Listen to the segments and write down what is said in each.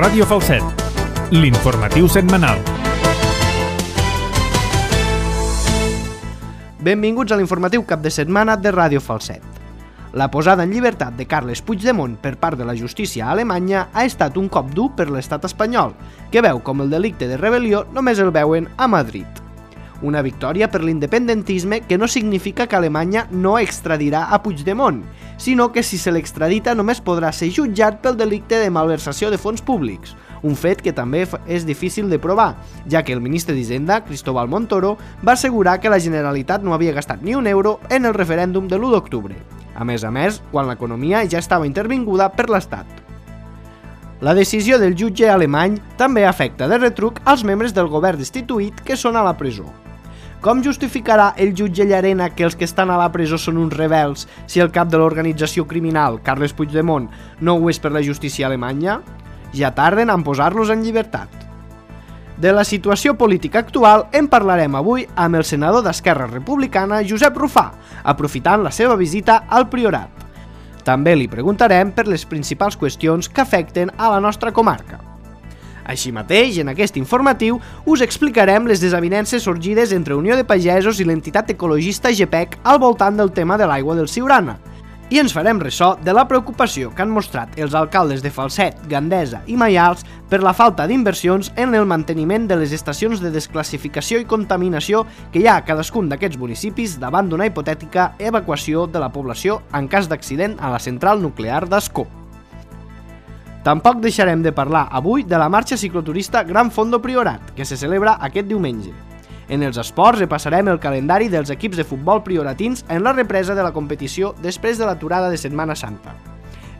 Ràdio Falset, l'informatiu setmanal. Benvinguts a l'informatiu cap de setmana de Ràdio Falset. La posada en llibertat de Carles Puigdemont per part de la justícia alemanya ha estat un cop dur per l'estat espanyol, que veu com el delicte de rebel·lió només el veuen a Madrid. Una victòria per l'independentisme que no significa que Alemanya no extradirà a Puigdemont, sinó que si se l'extradita només podrà ser jutjat pel delicte de malversació de fons públics, un fet que també és difícil de provar, ja que el ministre d'Hisenda, Cristóbal Montoro, va assegurar que la Generalitat no havia gastat ni un euro en el referèndum de l'1 d'octubre. A més, quan l'economia ja estava intervinguda per l'Estat. La decisió del jutge alemany també afecta de retruc als membres del govern destituït que són a la presó. Com justificarà el jutge Llarena que els que estan a la presó són uns rebels si el cap de l'organització criminal, Carles Puigdemont, no ho és per la justícia alemanya? Ja tarden en posar-los en llibertat. De la situació política actual en parlarem avui amb el senador d'Esquerra Republicana, Josep Rufà, aprofitant la seva visita al Priorat. També li preguntarem per les principals qüestions que afecten a la nostra comarca. Així mateix, en aquest informatiu, us explicarem les desavinences sorgides entre Unió de Pagesos i l'entitat ecologista GPEC al voltant del tema de l'aigua del Siurana. I ens farem ressò de la preocupació que han mostrat els alcaldes de Falset, Gandesa i Maials per la falta d'inversions en el manteniment de les estacions de desclassificació i contaminació que hi ha a cadascun d'aquests municipis davant d'una hipotètica evacuació de la població en cas d'accident a la central nuclear d'Ascó. Tampoc deixarem de parlar avui de la marxa cicloturista Gran Fondo Priorat, que se celebra aquest diumenge. En els esports repassarem el calendari dels equips de futbol prioratins en la represa de la competició després de l'aturada de Setmana Santa.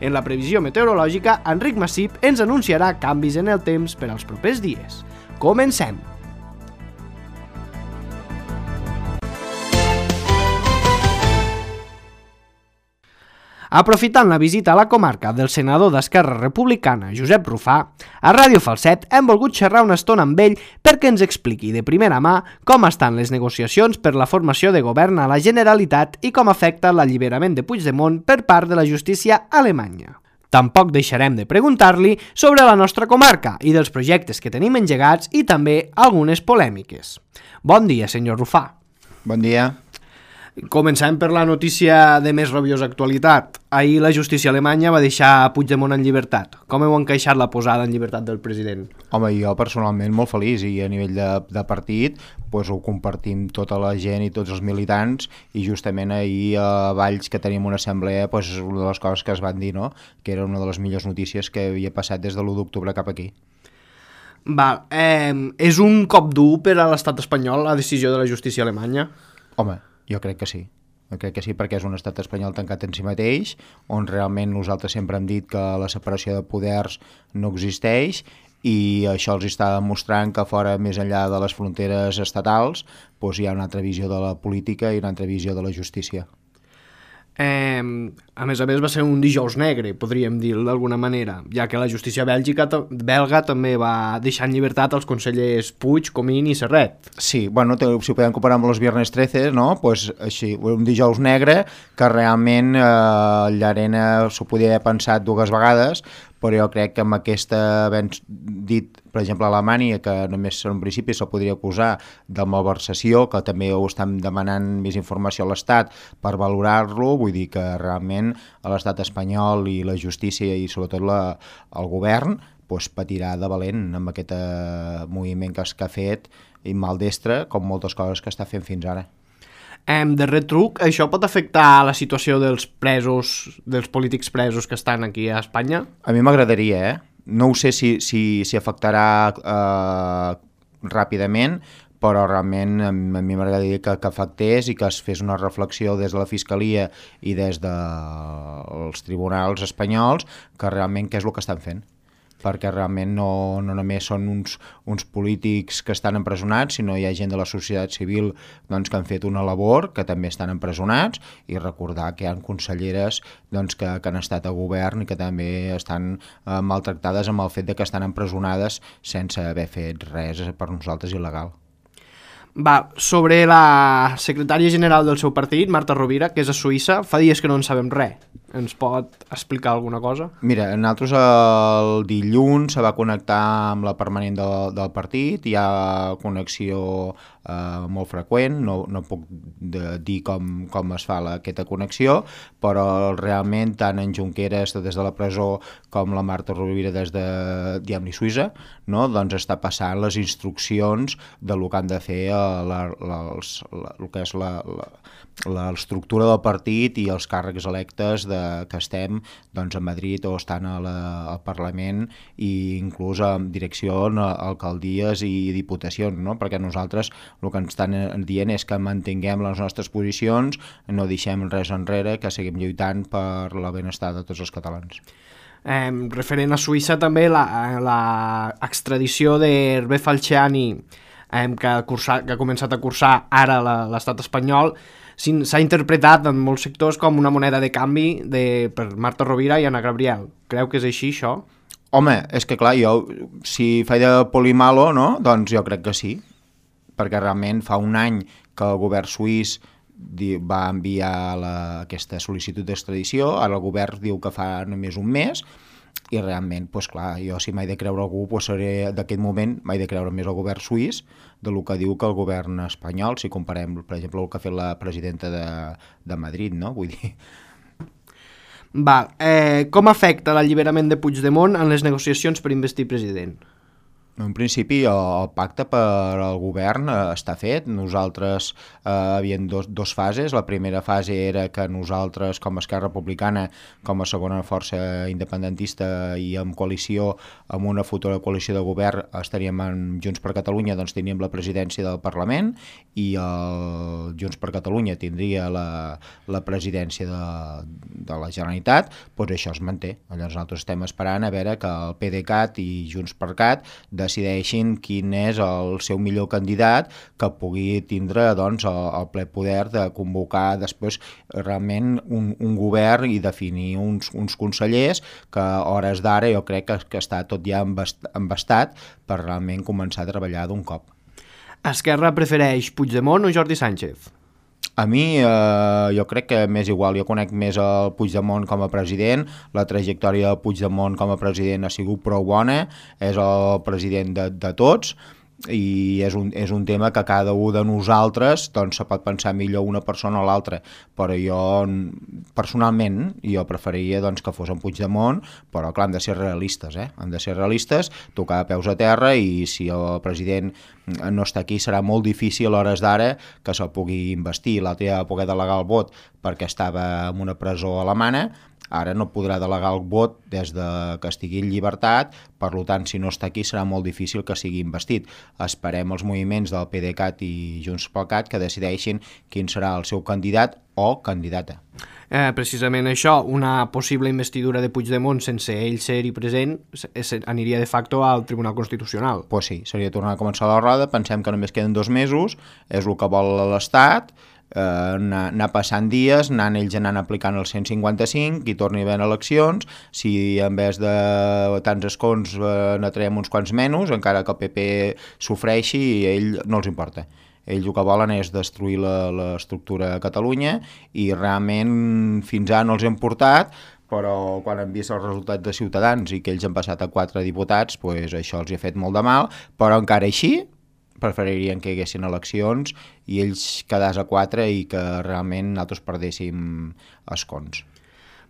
En la previsió meteorològica, Enric Massip ens anunciarà canvis en el temps per als propers dies. Comencem! Aprofitant la visita a la comarca del senador d'Esquerra Republicana, Josep Rufà, a Ràdio Falset hem volgut xerrar una estona amb ell perquè ens expliqui de primera mà com estan les negociacions per la formació de govern a la Generalitat i com afecta l'alliberament de Puigdemont per part de la justícia alemanya. Tampoc deixarem de preguntar-li sobre la nostra comarca i dels projectes que tenim engegats i també algunes polèmiques. Bon dia, senyor Rufà. Bon dia. Començem per la notícia de més rabiosa actualitat. Ahir la justícia alemanya va deixar Puigdemont en llibertat. Com heu encaixat la posada en llibertat del president? Home, jo personalment molt feliç i a nivell de partit doncs ho compartim tota la gent i tots els militants i justament ahir a Valls que tenim una assemblea doncs una de les coses que es van dir, no? Que era una de les millors notícies que havia passat des de l'1 d'octubre cap aquí. És un cop dur per a l'estat espanyol la decisió de la justícia alemanya? Home, jo crec que sí. Jo crec que sí perquè és un estat espanyol tancat en si mateix, on realment nosaltres sempre hem dit que la separació de poders no existeix i això els està demostrant que fora, més enllà de les fronteres estatals, doncs hi ha una altra visió de la política i una altra visió de la justícia. A més, va ser un dijous negre, podríem dir d'alguna manera, ja que la justícia belga també va deixar en llibertat els consellers Puig, Comín i Serret. Sí, bueno, si ho podem comparar amb els viernes 13, no? Pues així, un dijous negre que realment Llarena s'ho podia haver pensat dues vegades, però jo crec que amb aquesta, havent dit, per exemple, a Alemanya, que només en principi se'l podria acusar de malversació, que també ho estan demanant més informació a l'Estat per valorar-lo, vull dir que realment l'Estat espanyol i la justícia i sobretot el govern doncs, patirà de valent amb aquest moviment que ha fet i maldestre, com moltes coses que està fent fins ara. De retruc, això pot afectar la situació dels presos, dels polítics presos que estan aquí a Espanya? A mi m'agradaria, No ho sé si afectarà ràpidament, però realment a mi m'agradaria que afectés i que es fes una reflexió des de la Fiscalia i des dels tribunals espanyols que realment què és el que estan fent. Perquè realment no només són uns polítics que estan empresonats, sinó hi ha gent de la societat civil doncs, que han fet una labor, que també estan empresonats, i recordar que hi ha conselleres doncs, que han estat a govern i que també estan maltractades amb el fet de que estan empresonades sense haver fet res per nosaltres il·legal. Sobre la secretària general del seu partit, Marta Rovira, que és a Suïssa, fa dies que no en sabem res. Ens pot explicar alguna cosa? Mira, nosaltres el dilluns se va connectar amb la permanent del partit, hi ha connexió molt freqüent, no puc dir com es fa aquesta connexió, però realment tant en Junqueras des de la presó com la Marta Rovira des de Diamni Suïssa, no? Doncs està passant les instruccions de lo que han de fer el que és l'estructura del partit i els càrrecs electes que estem doncs, a Madrid o estan al Parlament i inclús en direcció a alcaldies i diputacions, no? Perquè nosaltres el que ens estan dient és que mantinguem les nostres posicions, no deixem res enrere, que seguim lluitant per la benestar de tots els catalans. Referent a Suïssa també l'extradició d'Hervé Falciani que ha començat a cursar ara l'estat espanyol s'ha interpretat en molts sectors com una moneda de canvi per Marta Rovira i Anna Gabriel. Creu que és així, això? Home, és que clar, jo, si faig de polimalo, no? Doncs jo crec que sí, perquè realment fa un any que el govern suís va enviar aquesta sol·licitud d'extradició, ara el govern diu que fa només un mes, i realment, doncs clar, jo si m'he de creure algú, doncs seré d'aquest moment, m'he de creure més el govern suís del que diu que el govern espanyol, si comparem, per exemple, el que ha fet la presidenta de Madrid, no? Vull dir... Com afecta l'alliberament de Puigdemont en les negociacions per investir president? En principi el pacte per al govern està fet. Nosaltres havíem dos fases. La primera fase era que nosaltres com a Esquerra Republicana, com a segona força independentista i en coalició, amb una futura coalició de govern estaríem en Junts per Catalunya, doncs teníem la presidència del Parlament i el Junts per Catalunya tindria la presidència de la Generalitat. Doncs això es manté. Llavors nosaltres estem esperant a veure que el PDeCAT i Junts per Cat decideixin quin és el seu millor candidat que pugui tindre doncs, el ple poder de convocar després realment un govern i definir uns consellers que a hores d'ara jo crec que està tot ja embastat per realment començar a treballar d'un cop. Esquerra prefereix Puigdemont o Jordi Sánchez? A mi jo crec que m'és igual, jo conec més el Puigdemont com a president, la trajectòria del Puigdemont com a president ha sigut prou bona, és el president de tots, i és un tema que cada un de nosaltres doncs, se pot pensar millor una persona o l'altra, però jo personalment jo preferiria doncs, que fos en Puigdemont, però clar, hem de ser realistes, hem de ser realistes, tocar peus a terra, i si el president no està aquí serà molt difícil a hores d'ara que se'l pugui investir. L'altre ja va poder delegar el vot perquè estava en una presó alemana, ara no podrà delegar el vot des que estigui en llibertat, per tant, si no està aquí serà molt difícil que sigui investit. Esperem els moviments del PDeCAT i Junts pel Cat que decideixin quin serà el seu candidat o candidata. Precisament això, una possible investidura de Puigdemont sense ell ser-hi present aniria de facto al Tribunal Constitucional. Pues sí, seria tornar a començar la roda, pensem que només queden 2 mesos, és el que vol l'Estat, anar passant dies, ells anant aplicant el 155 i torni a haver eleccions. Si en vez de tants escons n'atraiem uns quants menys, encara que el PP sofreixi, a ell no els importa. Ells el que volen és destruir l'estructura a Catalunya i realment fins ara no els hem portat, però quan han vist els resultats de Ciutadans i que ells han passat a 4 diputats, doncs això els ha fet molt de mal, però encara així preferirien que hi haguessin eleccions i ells quedàs a 4 i que realment nosaltres perdéssim escons.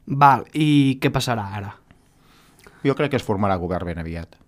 I què passarà ara? Jo crec que es formarà govern ben aviat.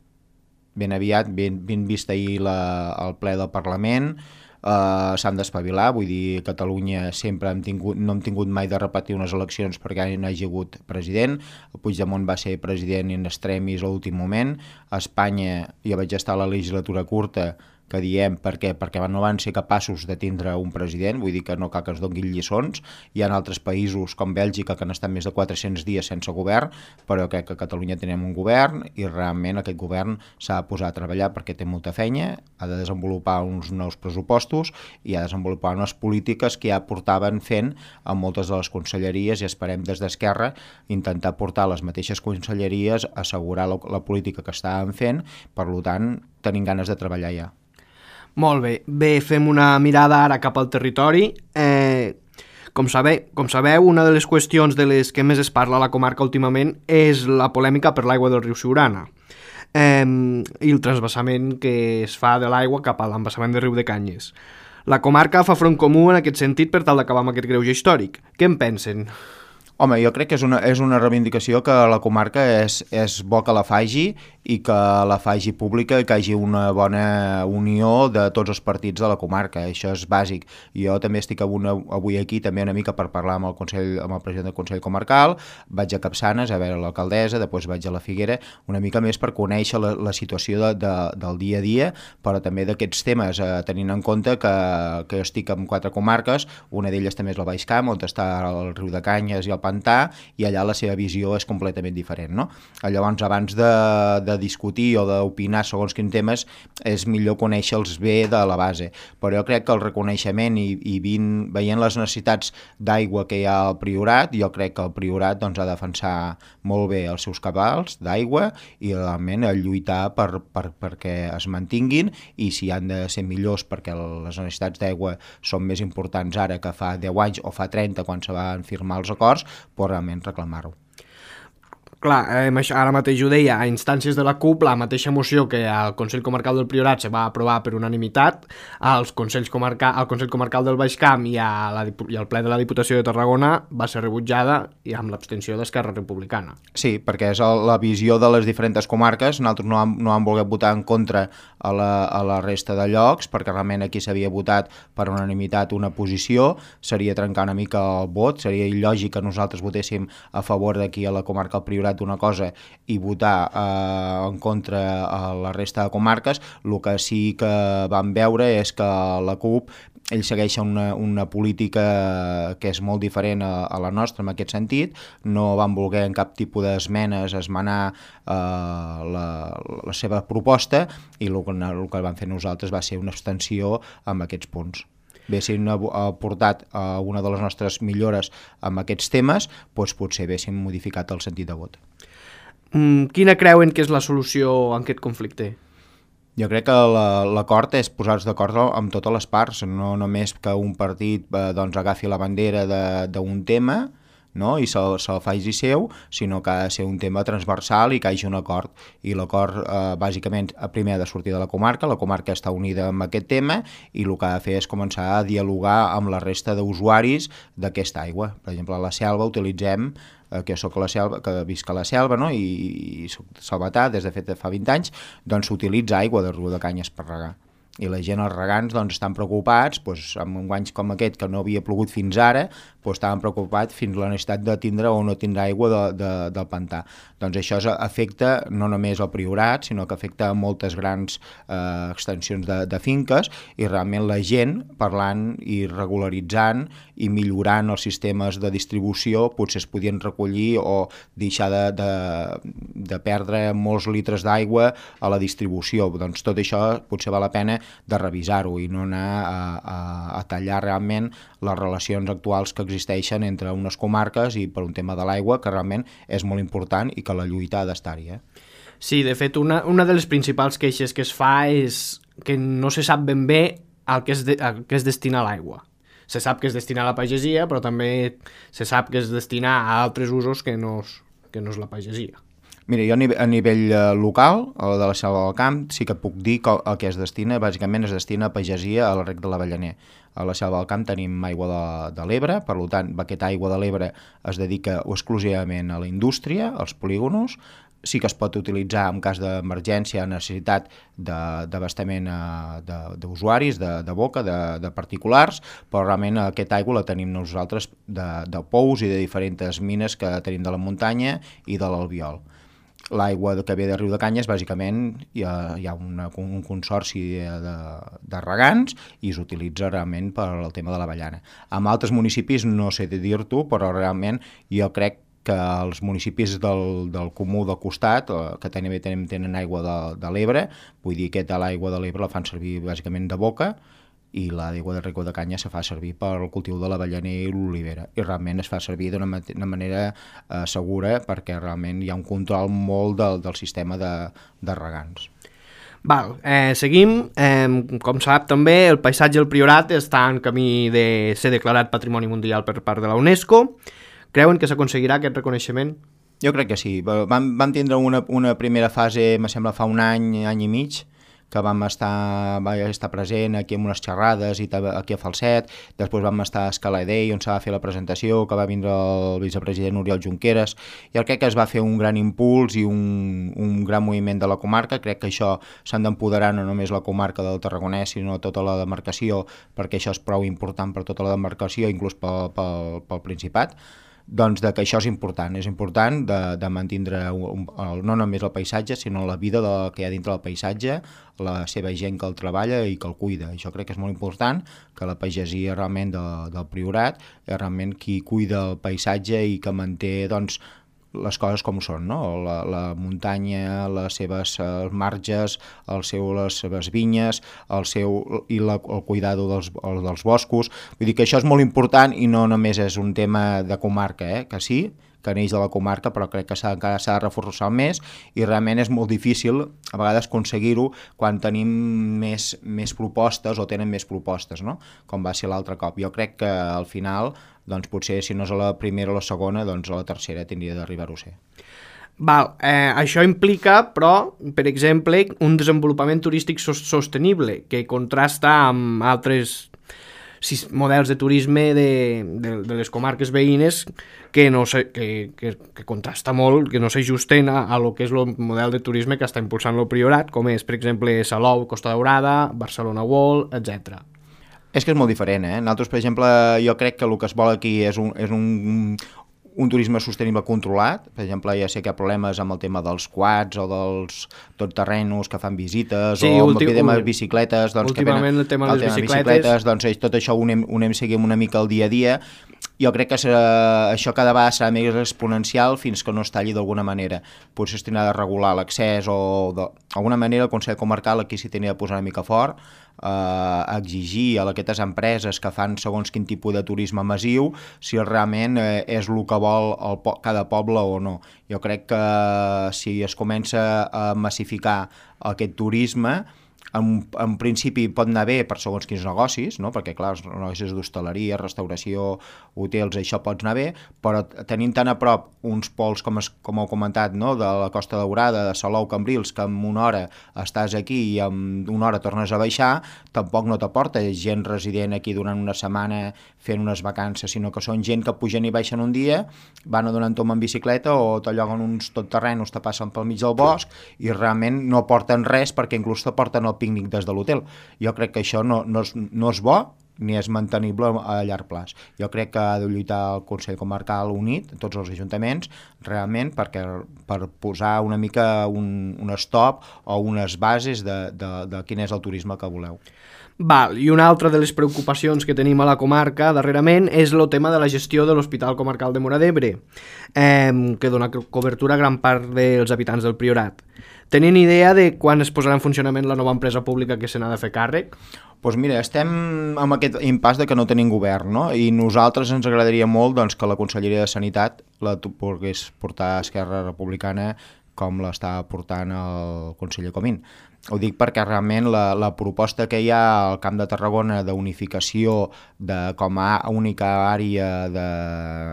Ben aviat, ben vist ahir el ple del Parlament, s'han d'espavilar, vull dir, a Catalunya sempre no hem tingut mai de repetir unes eleccions perquè no hi hagi hagut president. El Puigdemont va ser president in extremis a l'últim moment. A Espanya jo vaig estar a la legislatura curta, que diem per què? Perquè no van ser capaços de tindre un president, vull dir que no cal que ens donguin lliçons. Hi ha altres països com Bèlgica que han estat més de 400 dies sense govern, però crec que a Catalunya tenim un govern i realment aquest govern s'ha de posar a treballar perquè té molta feina, ha de desenvolupar uns nous pressupostos i ha de desenvolupar unes polítiques que ja portaven fent en moltes de les conselleries i esperem des d'Esquerra intentar portar les mateixes conselleries, assegurar la política que estàvem fent, per tant tenim ganes de treballar ja. Molt bé, fem una mirada ara cap al territori. Com sabeu, una de les qüestions de les que més es parla a la comarca últimament és la polèmica per l'aigua del riu Siurana i el transvasament que es fa de l'aigua cap a l'embassament de Riu de Canyes. La comarca fa front comú en aquest sentit per tal d'acabar amb aquest greuge històric. Què en pensen? Home, jo crec que és una reivindicació que la comarca és bo que la faci i que la faci pública i que hi hagi una bona unió de tots els partits de la comarca, això és bàsic. Jo també estic avui aquí també una mica per parlar amb el president del Consell Comarcal, vaig a Capçanes a veure l'alcaldessa, després vaig a la Figuera, una mica més per conèixer la situació del dia a dia, però també d'aquests temes, tenint en compte que estic en 4 comarques, una d'elles també és el Baix Camp, on està el Riu de Canyes i el Pantà, i allà la seva visió és completament diferent, no? Llavors, abans de discutir o d'opinar segons quins temes, és millor conèixer-los bé de la base. Però jo crec que el reconeixement i veient les necessitats d'aigua que hi ha al Priorat, jo crec que el Priorat ha de defensar molt bé els seus cabals d'aigua i realment lluitar perquè es mantinguin, i si han de ser millors perquè les necessitats d'aigua són més importants ara que fa 10 anys o fa 30 quan se van firmar els acords, però realment reclamar-ho. Clar, ara mateix ho deia, a instàncies de la CUP, la mateixa moció que al Consell Comarcal del Priorat se va aprovar per unanimitat, al Consell Comarcal del Baix Camp i al ple de la Diputació de Tarragona va ser rebutjada i amb l'abstenció d'Esquerra Republicana. Sí, perquè és la visió de les diferents comarques, nosaltres no hem volgut votar en contra a la resta de llocs, perquè realment aquí s'havia votat per unanimitat una posició, seria trencar una mica el vot, seria il·lògic que nosaltres votéssim a favor d'aquí a la comarca del Priorat una cosa i votar en contra a la resta de comarques. El que sí que vam veure és que la CUP ells segueixen una política que és molt diferent a la nostra en aquest sentit, no van voler en cap tipus d'esmenes esmenar la seva proposta, i el que van fer nosaltres va ser una abstenció amb aquests punts. Haguéssim aportat una de les nostres millores amb aquests temes, doncs potser haguéssim modificat el sentit de vot. Quina creuen que és la solució en aquest conflicte? Jo crec que l'acord és posar-se d'acord amb totes les parts, no només que un partit agafi la bandera d'un tema, no? I se'l faci seu, sinó que ha de ser un tema transversal i que hi hagi un acord. I l'acord, bàsicament, primer ha de sortir de la comarca està unida amb aquest tema, i el que ha de fer és començar a dialogar amb la resta d'usuaris d'aquesta aigua. Per exemple, a la Selva utilitzem, que jo soc a la Selva, que visc a la Selva, no? I soc salvatà des de fa 20 anys, doncs s'utilitza aigua de Riu de Canyes per regar. I la gent, els regants, estan preocupats, amb guanys com aquest que no havia plogut fins ara, estaven preocupats fins la necessitat de tindre o no tindre aigua del pantà. Doncs això afecta no només el Priorat, sinó que afecta moltes grans extensions de finques, i realment la gent, parlant i regularitzant i millorant els sistemes de distribució, potser es podien recollir o deixar de perdre molts litres d'aigua a la distribució. Doncs tot això potser val la pena de revisar-ho i no anar a tallar realment les relacions actuals que existeixen entre unes comarques i per un tema de l'aigua que realment és molt important i que la lluita ha d'estar-hi. Sí, de fet, una de les principals queixes que es fa és que no se sap ben bé a què es destina l'aigua. Se sap que es destina a la pagesia, però també se sap que es destina a altres usos que no és la pagesia. Mira, jo a nivell local, de la Selva del Camp, sí que puc dir que el que es destina, bàsicament es destina a pagesia a la rec de l'Avellaner. A la Selva del Camp tenim aigua de l'Ebre, per tant, aquesta aigua de l'Ebre es dedica exclusivament a la indústria, als polígonos. Sí que es pot utilitzar en cas d'emergència, necessitat d'abastament d'usuaris, de boca, de particulars, però realment aquesta aigua la tenim nosaltres de pous i de diferents mines que tenim de la muntanya i de l'Albiol. L'aigua que ve de Riu de Canyes, bàsicament, hi ha un consorci de regants i s'utilitza realment per al tema de l'avellana. En altres municipis no sé dir-t'ho, però realment jo crec que els municipis del comú del costat, que també tenen aigua de l'Ebre, vull dir que l'aigua de l'Ebre la fan servir bàsicament de boca, i l'aigua de Riu de Canyes se fa servir per al cultiu de l'avellaner i l'olivera, i realment es fa servir d'una manera segura perquè realment hi ha un control molt del sistema de regants. Seguim. Com sap també, el paisatge del Priorat està en camí de ser declarat Patrimoni Mundial per part de la UNESCO. Creuen que s'aconseguirà aquest reconeixement? Jo crec que sí. Vam tindre una primera fase, me sembla, fa un any i mig, que va estar present aquí amb unes xerrades i aquí a Falset. Després vam estar a Escala Day, on s'ha de fer la presentació, que va vindre el vicepresident Oriol Junqueras. Jo crec que es va fer un gran impuls i un gran moviment de la comarca. Crec que això s'han d'empoderar no només la comarca del Tarragonès, sinó tota la demarcació, perquè això és prou important per tota la demarcació, inclús pel Principat. Doncs que això és important de mantindre no només el paisatge, sinó la vida que hi ha dintre del paisatge, la seva gent que el treballa i que el cuida. Això crec que és molt important, que la pagesia realment del Priorat és realment qui cuida el paisatge i que manté doncs, les coses com són, no? La muntanya, les seves marges, les seves vinyes, el cuidado dels boscos. Vull dir que això és molt important i no només és un tema de comarca, que sí, que neix de la comarca, però crec que encara s'ha de reforçar més i realment és molt difícil a vegades aconseguir-ho quan tenim més propostes o tenen més propostes, no? Com va ser l'altre cop. Jo crec que al final, doncs potser si no és a la primera o la segona, doncs a la tercera tindria d'arribar-ho a ser. Això implica, però, per exemple, un desenvolupament turístic sostenible que contrasta amb altres models de turisme de les comarques veïnes que contrasta molt, que no s'ajusten a lo que és el model de turisme que està impulsant el Priorat, com és, per exemple, Salou, Costa Daurada, Barcelona World, etc. És que és molt diferent, Nosaltres, per exemple, jo crec que el que es vol aquí és un turisme sostenible controlat. Per exemple, ja sé que hi ha problemes amb el tema dels quads o dels totterrenos que fan visites, sí, o amb el tema de les bicicletes. Doncs, últimament el tema de les bicicletes. Doncs tot això ho anem seguint una mica el dia a dia. Jo crec que això cada vegada serà més exponencial fins que no es talli d'alguna manera. Potser es tindrà de regular l'accés o d'alguna manera el Consell Comarcal aquí s'hi tindria de posar una mica fort, a exigir a aquestes empreses que fan segons quin tipus de turisme massiu si realment és el que vol cada poble o no. Jo crec que si es comença a massificar aquest turisme, en principi pot anar bé per segons quins negocis, no? Perquè clar, els negocis d'hostaleria, restauració, hotels, això pot anar bé, però tenim tan a prop uns pols, com heu comentat, no? De la Costa Daurada, de Salou, Cambrils, que en una hora estàs aquí i en una hora tornes a baixar, tampoc no t'aporta gent resident aquí durant una setmana fent unes vacances, sinó que són gent que pugen i baixen un dia, van a donar un tom en bicicleta o t'alloguen uns totterrenos, te passen pel mig del bosc i realment no aporten res perquè inclús t'aporten el pícnic des de l'hotel. Jo crec que això no és bo ni és mantenible a llarg plaç. Jo crec que ha de lluitar el Consell Comarcal unit, tots els ajuntaments, realment per posar una mica un stop o unes bases de quin és el turisme que voleu. I una altra de les preocupacions que tenim a la comarca darrerament és el tema de la gestió de l'Hospital Comarcal de Móra d'Ebre, que dona cobertura a gran part dels habitants del Priorat. Tenien idea de quan es posarà en funcionament la nova empresa pública que se n'ha de fer càrrec? Doncs mira, estem amb aquest impàs de que no tenim govern, no? I nosaltres ens agradaria molt doncs, que la Conselleria de Sanitat la pogués portar a Esquerra Republicana com l'està portant el conseller Comín. Ho dic perquè realment la proposta que hi ha al Camp de Tarragona d'unificació com a única àrea de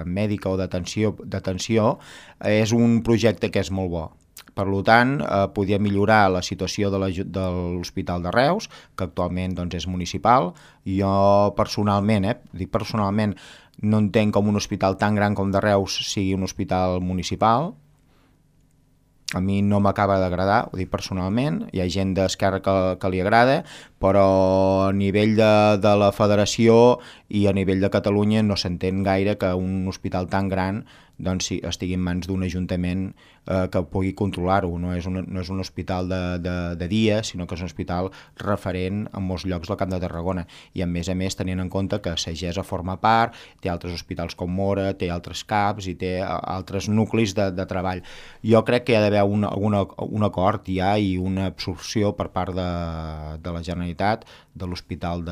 mèdica o d'atenció és un projecte que és molt bo. Per tant, podia millorar la situació de l'Hospital de Reus, que actualment doncs, és municipal. Jo personalment, no entenc com un hospital tan gran com de Reus sigui un hospital municipal. A mi no m'acaba d'agradar, ho dic personalment, hi ha gent d'Esquerra que li agrada, però a nivell de la federació i a nivell de Catalunya no s'entén gaire que un hospital tan gran doncs, estigui en mans d'un ajuntament que pugui controlar-ho. No és un hospital de dia, sinó que és un hospital referent en molts llocs del Camp de Tarragona. I a més tenint en compte que Sagessa forma part, té altres hospitals com Móra, té altres CAPs i té altres nuclis de treball. Jo crec que hi ha d'haver un acord ja i una absorció per part de la Generalitat de l'Hospital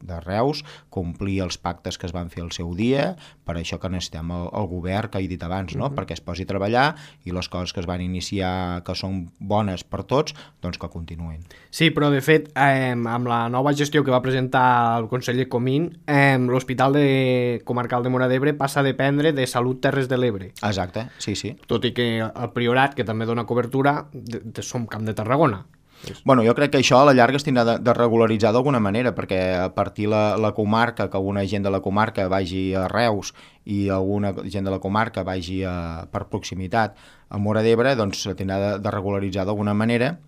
de Reus, complir els pactes que es van fer al seu dia, per això que necessitem el govern que he dit abans, no? Perquè es posi a treballar i les coses que es van iniciar que són bones per tots, doncs que continuïn. Sí, però de fet, amb la nova gestió que va presentar el conseller Comín, l'Hospital Comarcal de Móra d'Ebre passa a dependre de Salut Terres de l'Ebre. Exacte, sí, sí. Tot i que el Priorat, que també dona cobertura, som Camp de Tarragona. Bueno, jo crec que això a la llarga es tindrà de regularitzar d'alguna manera, perquè a partir la comarca, que alguna gent de la comarca vagi a Reus i alguna gent de la comarca vagi per proximitat a Móra d'Ebre, doncs tindrà de regularitzar d'alguna manera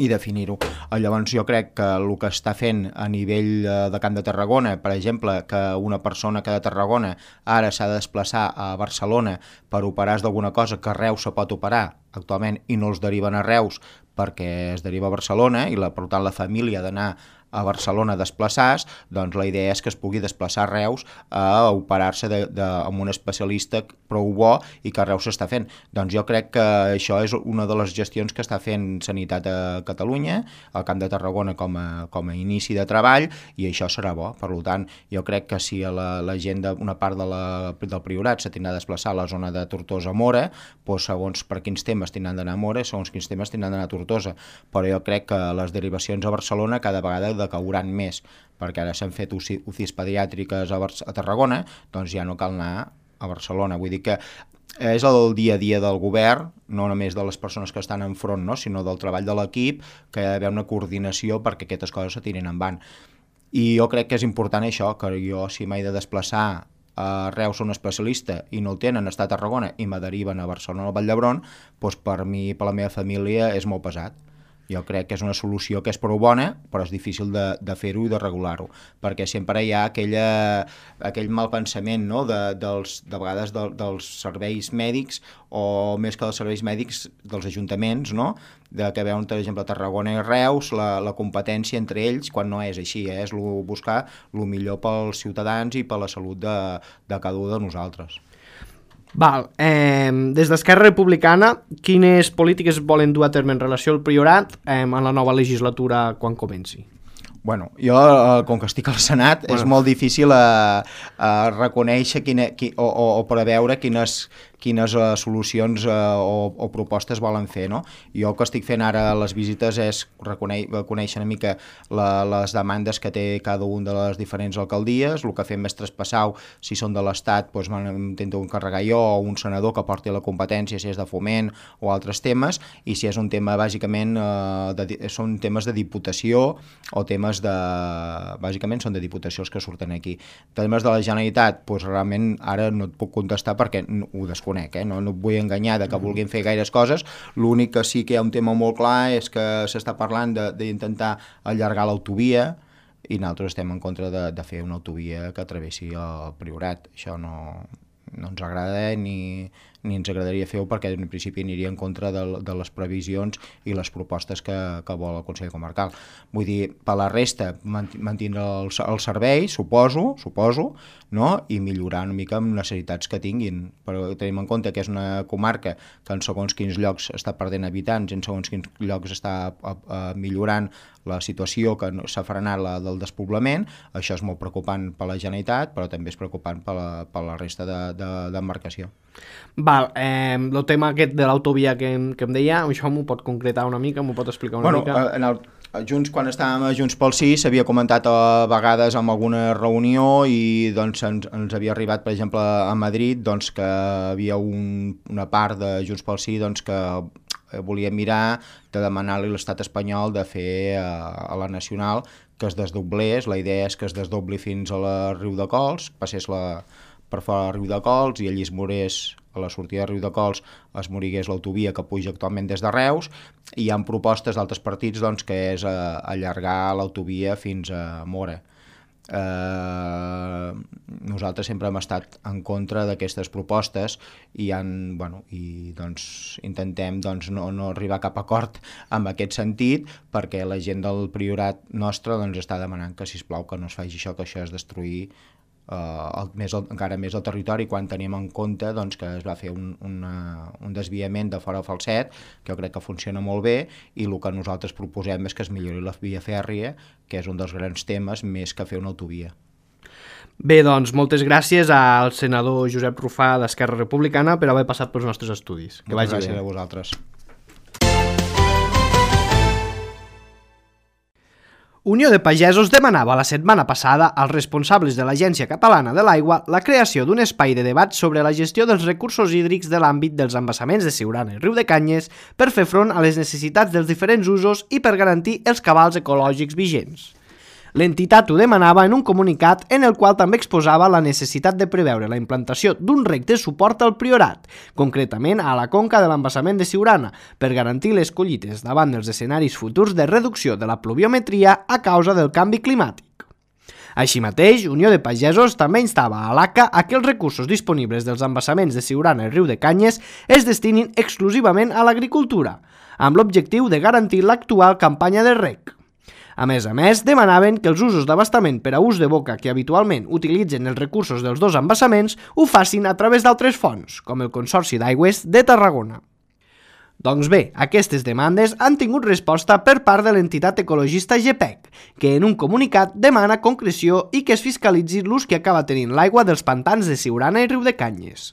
i definir-ho. Llavors jo crec que el que està fent a nivell de Camp de Tarragona, per exemple, que una persona que de Tarragona ara s'ha de desplaçar a Barcelona per operar d'alguna cosa que a Reus se pot operar actualment i no els deriven a Reus perquè es deriva a Barcelona i per tant la família ha d'anar a Barcelona a desplaçar-se, doncs la idea és que es pugui desplaçar a Reus a operar-se amb un especialista prou bo i que a Reus s'està fent. Doncs jo crec que això és una de les gestions que està fent Sanitat a Catalunya, al Camp de Tarragona com a inici de treball, i això serà bo. Per tant, jo crec que si la gent d'una part del Priorat se tindrà de desplaçar a la zona de Tortosa-Mora, doncs segons per quins temes tindran d'anar a Mora, segons quins temes tindran d'anar a Tortosa. Però jo crec que les derivacions a Barcelona cada vegada decauran més, perquè ara s'han fet UCIs pediàtriques a Tarragona, doncs ja no cal anar a Barcelona. Vull dir que és el dia a dia del govern, no només de les persones que estan enfront, no? Sinó del treball de l'equip, que hi ha d'haver una coordinació perquè aquestes coses se tirin endavant. I jo crec que és important això, que jo si m'he de desplaçar a Reus a un especialista i no el tenen, està a Tarragona i me deriven a Barcelona o al Vall d'Hebron, doncs per mi i per la meva família és molt pesat. Jo crec que és una solució que és prou bona, però és difícil de fer-ho i de regular-ho, perquè sempre hi ha aquell mal pensament, no? de vegades dels serveis mèdics, o més que dels serveis mèdics dels ajuntaments, no? De que veuen, per exemple, Tarragona i Reus, la competència entre ells, quan no és així, és buscar el millor pels ciutadans i per la salut de cada un de nosaltres. Val, des d'Esquerra Republicana, quines polítiques volen dur a terme en relació al Priorat en la nova legislatura quan comenci? Bueno, jo, com que estic al Senat, és molt difícil reconèixer o preveure quines solucions o propostes volen fer, no? Jo el que estic fent ara a les visites és conèixer una mica les demandes que té cada una de les diferents alcaldies, el que fem és traspassar, si són de l'Estat, doncs m'intento encarregar jo o un senador que porti la competència, si és de foment o altres temes, i si és un tema, bàsicament, són temes de diputació o temes bàsicament són de diputació els que surten aquí. Temes de la Generalitat, doncs realment ara no et puc contestar perquè ho desconec, no et vull enganyar de que vulguin fer gaires coses. L'únic que sí que hi ha un tema molt clar és que s'està parlant d'intentar allargar l'autovia i nosaltres estem en contra de fer una autovia que travessi el Priorat. Això no ens agrada ni ens agradaria fer-ho perquè en principi aniria en contra de les previsions i les propostes que vol el Consell Comarcal. Vull dir, per la resta, mantindre el servei, suposo, no? I millorar una mica amb necessitats que tinguin. Però tenim en compte que és una comarca que en segons quins llocs està perdent habitants, en segons quins llocs està millorant la situació que s'ha frenat del despoblament. Això és molt preocupant per la Generalitat, però també és preocupant per la resta d'embarcació. Val, el tema aquest de l'autovia que em deia, això m'ho pot concretar una mica, m'ho pot explicar una mica? Quan estàvem a Junts pel Sí s'havia comentat a vegades en alguna reunió i doncs ens havia arribat, per exemple, a Madrid, doncs, que havia una part de Junts pel Sí doncs, que volia mirar de demanar-li a l'estat espanyol de fer a la nacional que es desdoblés. La idea és que es desdobli fins a la Riudecols, passés per fora de Riudecols i allí es morés a la sortida de Riudecols es morigués l'autovia que puja actualment des de Reus, i hi ha propostes d'altres partits doncs, que és allargar l'autovia fins a Móra. Nosaltres sempre hem estat en contra d'aquestes propostes i doncs, intentem no arribar a cap acord en aquest sentit, perquè la gent del Priorat nostre doncs, està demanant que sisplau que no es faci això, que això és destruir encara més el territori quan tenim en compte doncs, que es va fer un desviament de fora a Falset, que jo crec que funciona molt bé, i el que nosaltres proposem és que es millori la via fèrria, que és un dels grans temes, més que fer una autovia. Bé, doncs, moltes gràcies al senador Josep Rufà d'Esquerra Republicana per haver passat pels nostres estudis. Que Moltes vagi gràcies bé. a vosaltres. Unió de Pagesos demanava la setmana passada als responsables de l'Agència Catalana de l'Aigua la creació d'un espai de debat sobre la gestió dels recursos hídrics de l'àmbit dels embassaments de Siurana i Riudecanyes per fer front a les necessitats dels diferents usos i per garantir els cabals ecològics vigents. L'entitat ho demanava en un comunicat en el qual també exposava la necessitat de preveure la implantació d'un rec de suport al Priorat, concretament a la conca de l'embassament de Siurana, per garantir les collites davant dels escenaris futurs de reducció de la pluviometria a causa del canvi climàtic. Així mateix, Unió de Pagesos també instava a l'ACA a que els recursos disponibles dels embassaments de Siurana i Riudecanyes es destinin exclusivament a l'agricultura, amb l'objectiu de garantir l'actual campanya de rec. A més, demanaven que els usos d'abastament per a ús de boca que habitualment utilitzen els recursos dels dos embassaments ho facin a través d'altres fonts, com el Consorci d'Aigües de Tarragona. Doncs bé, aquestes demandes han tingut resposta per part de l'entitat ecologista GEPEC, que en un comunicat demana concreció i que es fiscalitzi l'ús que acaba tenint l'aigua dels pantans de Siurana i Riudecanyes.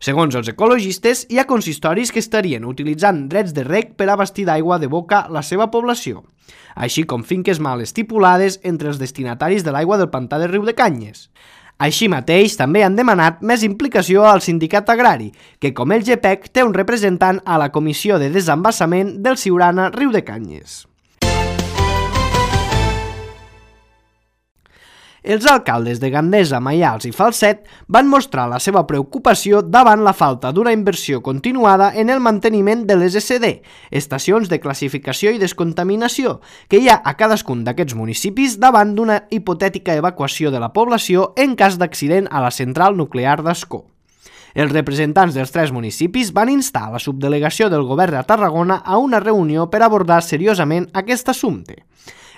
Segons els ecologistes, hi ha consistoris que estarien utilitzant drets de rec per abastir d'aigua de boca la seva població, així com finques mal estipulades entre els destinataris de l'aigua del pantà de Riudecanyes. Així mateix, també han demanat més implicació al sindicat agrari, que com el GEPEC té un representant a la Comissió de Desembassament del Siurana Riudecanyes. Els alcaldes de Gandesa, Maials i Falset van mostrar la seva preocupació davant la falta d'una inversió continuada en el manteniment de les SD, estacions de classificació i descontaminació, que hi ha a cadascun d'aquests municipis davant d'una hipotètica evacuació de la població en cas d'accident a la central nuclear d'Ascó. Els representants dels 3 municipis van instar la subdelegació del govern de Tarragona a una reunió per abordar seriosament aquest assumpte.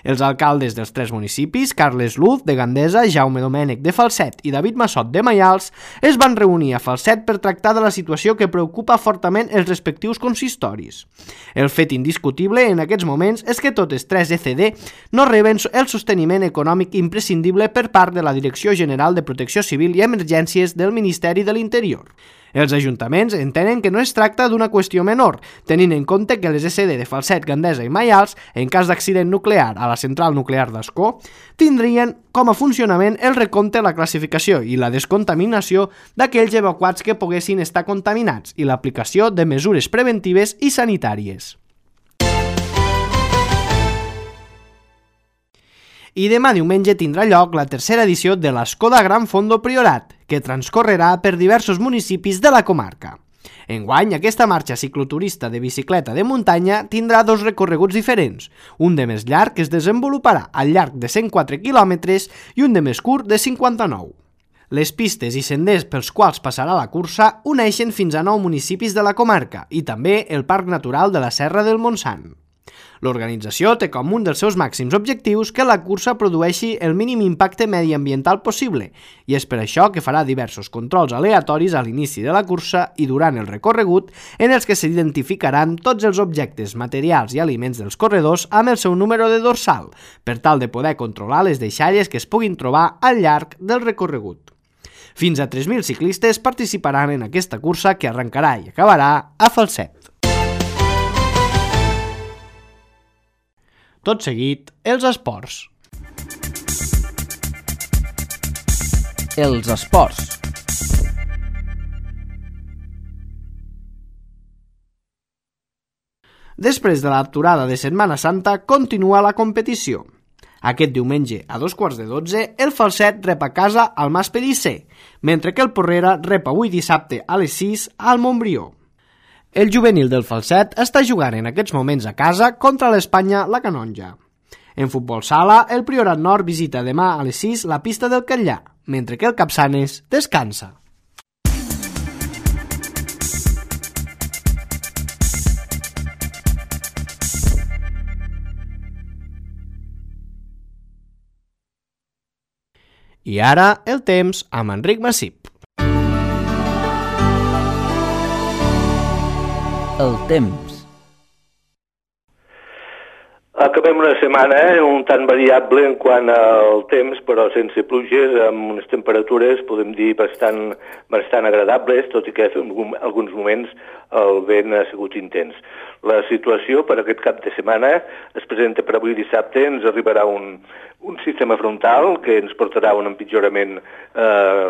Els alcaldes dels 3 municipis, Carles Luz, de Gandesa, Jaume Domènech, de Falset i David Massot, de Maials, es van reunir a Falset per tractar de la situació que preocupa fortament els respectius consistoris. El fet indiscutible en aquests moments és que totes 3 ECD no reben el sosteniment econòmic imprescindible per part de la Direcció General de Protecció Civil i Emergències del Ministeri de l'Interior. Els ajuntaments entenen que no es tracta d'una qüestió menor, tenint en compte que les SD de Falset, Gandesa i Maials, en cas d'accident nuclear a la central nuclear d'Ascó, tindrien com a funcionament el recompte, la classificació i la descontaminació d'aquells evacuats que poguessin estar contaminats i l'aplicació de mesures preventives i sanitàries. I demà diumenge tindrà lloc la tercera edició de l'Escoda Gran Fondo Priorat, que transcorrerà per diversos municipis de la comarca. Enguany, aquesta marxa cicloturista de bicicleta de muntanya tindrà 2 recorreguts diferents, un de més llarg que es desenvoluparà al llarg de 104 quilòmetres i un de més curt de 59. Les pistes i senders pels quals passarà la cursa uneixen fins a 9 municipis de la comarca i també el Parc Natural de la Serra del Montsant. L'organització té com un dels seus màxims objectius que la cursa produeixi el mínim impacte mediambiental possible i és per això que farà diversos controls aleatoris a l'inici de la cursa i durant el recorregut en els que s'identificaran tots els objectes, materials i aliments dels corredors amb el seu número de dorsal per tal de poder controlar les deixalles que es puguin trobar al llarg del recorregut. Fins a 3.000 ciclistes participaran en aquesta cursa que arrencarà i acabarà a Falset. Tot seguit, els esports. Els esports. Després de l'aturada de Setmana Santa, continua la competició. Aquest diumenge, a 11:15, el Falset rep a casa al Mas Pellicer, mentre que el Porrera rep avui dissabte a les 6 al Montbrió. El juvenil del Falset està jugant en aquests moments a casa contra l'Espanya la Canonja. En futbol sala, el Priorat Nord visita demà a les 6 la pista del Catllà, mentre que el Capçanes descansa. I ara el temps amb Enric Massip. El temps. Acabem una setmana un tant variable en quant al temps, però sense pluges, amb unes temperatures, podem dir, bastant agradables, tot i que en alguns moments el vent ha sigut intens. La situació per aquest cap de setmana es presenta per avui dissabte. Ens arribarà un sistema frontal que ens portarà un empitjorament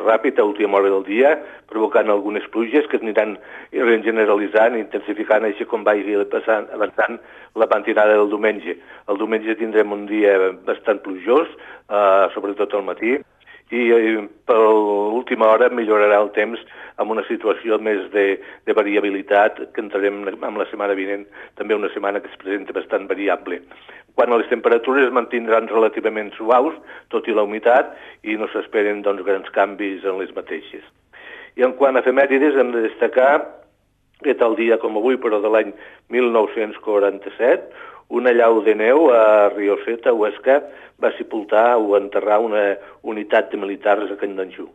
ràpid a última hora del dia, provocant algunes pluges que es aniran generalitzant i intensificant així com vagi avançant la matinada del diumenge. El diumenge tindrem un dia bastant plujós, sobretot al matí, i per l'última hora millorarà el temps amb una situació més de variabilitat que entrarem amb la setmana vinent, també una setmana que es presenta bastant variable. Quan les temperatures es mantindran relativament suaus, tot i la humitat, i no s'esperen grans canvis en les mateixes. I en quant a efemèrides hem de destacar que tal dia com avui, però de l'any 1947, una llau de neu a Rioceta, Huesca, va sepultar o enterrar una unitat de militars a Candanjú.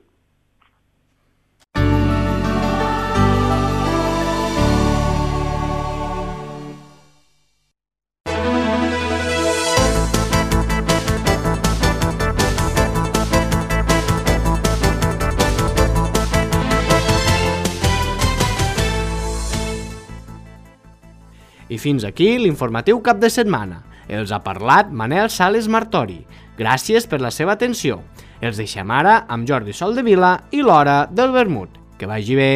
I fins aquí l'informatiu cap de setmana. Els ha parlat Manel Sales Martori. Gràcies per la seva atenció. Els deixem ara amb Jordi Soldevila i l'Hora del Vermut. Que vagi bé!